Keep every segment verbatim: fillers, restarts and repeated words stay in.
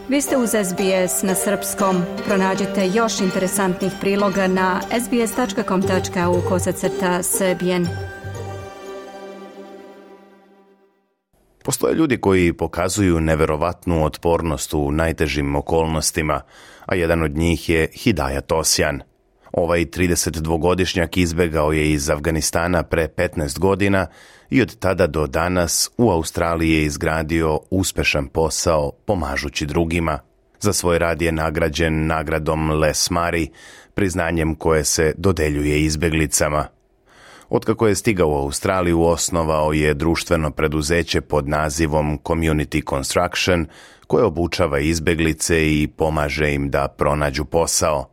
Vi ste uz S B S na srpskom. Pronađite još interesantnih priloga na sbs.com.au kosacrta srbijen. Postoje ljudi koji pokazuju neverovatnu otpornost u najtežim okolnostima, a jedan od njih je Hidayat Osjan. Ovaj tridesetdvogodišnjak izbegao je iz Afganistana pre petnaest godina i od tada do danas u Australiji je izgradio uspešan posao pomažući drugima. Za svoj rad je nagrađen nagradom Les Murray, priznanjem koje se dodeljuje izbeglicama. Otkako je stigao u Australiju, osnovao je društveno preduzeće pod nazivom Community Construction, koje obučava izbeglice i pomaže im da pronađu posao.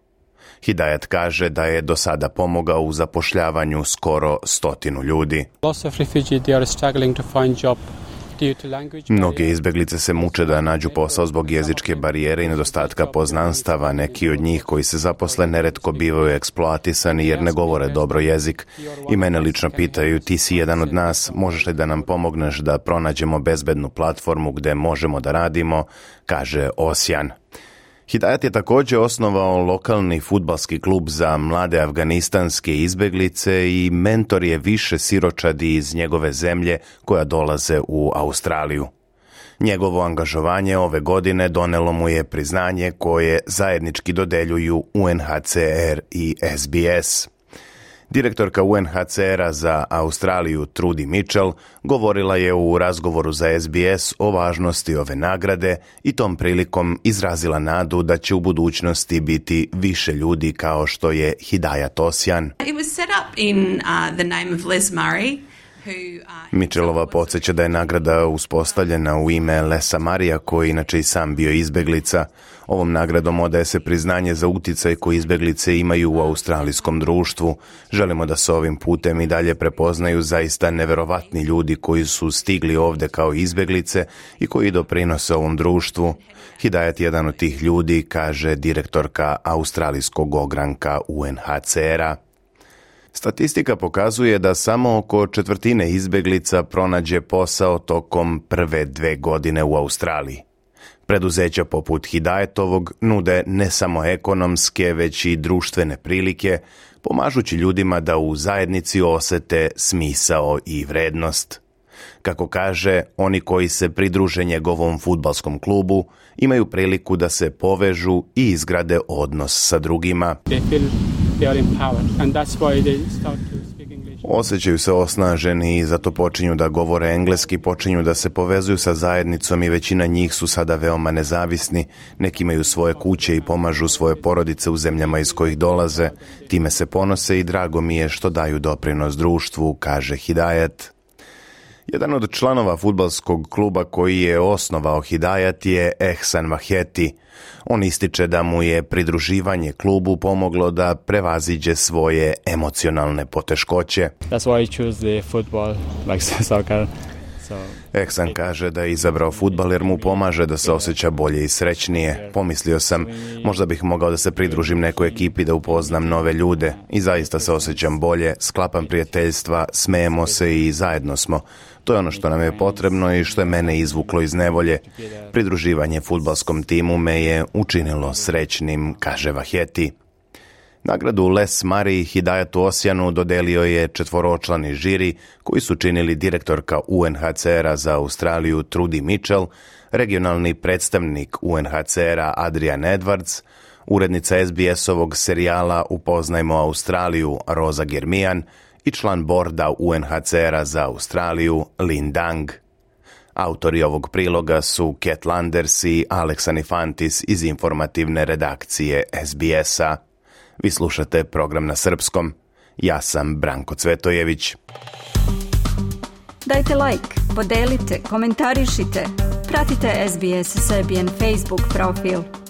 Hidayat kaže da je do sada pomogao u zapošljavanju skoro stotinu ljudi. Mnoge izbeglice se muče da nađu posao zbog jezičke barijere i nedostatka poznanstava. Neki od njih koji se zaposle neretko bivaju eksploatisani jer ne govore dobro jezik. I mene lično pitaju, ti si jedan od nas, možeš li da nam pomogneš da pronađemo bezbednu platformu gde možemo da radimo, kaže Osjan. Hidayat je također osnovao lokalni fudbalski klub za mlade afganistanske izbeglice i mentor je više siročadi iz njegove zemlje koja dolaze u Australiju. Njegovo angažovanje ove godine donelo mu je priznanje koje zajednički dodeljuju U N H C R i S B S. Direktorka U N H C R-a za Australiju Trudy Mitchell govorila je u razgovoru za S B S o važnosti ove nagrade i tom prilikom izrazila nadu da će u budućnosti biti više ljudi kao što je Hidayat Osjan. It was set up in uh, the name of Les Murray. Mitchellova podsjeća da je nagrada uspostavljena u ime Lesa Marija, koji inače i sam bio izbeglica. Ovom nagradom odaje se priznanje za uticaj koji izbeglice imaju u australijskom društvu. Želimo da se ovim putem i dalje prepoznaju zaista neverovatni ljudi koji su stigli ovde kao izbeglice i koji doprinose ovom društvu. Hidayat je jedan od tih ljudi, kaže direktorka australijskog ogranka U N H C R-a. Statistika pokazuje da samo oko četvrtine izbeglica pronađe posao tokom prve dve godine u Australiji. Preduzeća poput Hidayatovog nude ne samo ekonomske, već i društvene prilike, pomažući ljudima da u zajednici osete smisao i vrednost. Kako kaže, oni koji se pridruže njegovom fudbalskom klubu imaju priliku da se povežu i izgrade odnos sa drugima. Osjećaju se osnaženi i zato počinju da govore engleski, počinju da se povezuju sa zajednicom i većina njih su sada veoma nezavisni. Neki imaju svoje kuće i pomažu svoje porodice u zemljama iz kojih dolaze. Time se ponose i drago mi je što daju doprinos društvu, kaže Hidayat. Jedan od članova fudbalskog kluba koji je osnovao Hidayat je Ehsan Vaheti. On ističe da mu je pridruživanje klubu pomoglo da prevaziđe svoje emocionalne poteškoće. That's why I choose the football, like soccer. So, Ehsan kaže da je izabrao fudbal jer mu pomaže da se osjeća bolje i srećnije. Pomislio sam, možda bih mogao da se pridružim nekoj ekipi da upoznam nove ljude. I zaista se osjećam bolje, sklapam prijateljstva, smejemo se i zajedno smo. To je ono što nam je potrebno i što je mene izvuklo iz nevolje. Pridruživanje fudbalskom timu me je učinilo srećnim, kaže Vaheti. Nagradu Les Murray Hidayatu Osjanu dodelio je četvoročlani žiri koji su činili direktorka U N H C R-a za Australiju Trudy Mitchell, regionalni predstavnik U N H C R-a Adrian Edwards, urednica S B S-ovog serijala Upoznajmo Australiju Rosa Germian i član borda U N H C R-a za Australiju Lin Dang. Autori ovog priloga su Cat Landers i Alex Anifantis iz informativne redakcije S B S-a. Vi slušate program na srpskom. Ja sam Branko Cvetojević. Dajte like, podelite, komentarišite. Pratite S B S Serbian Facebook profil.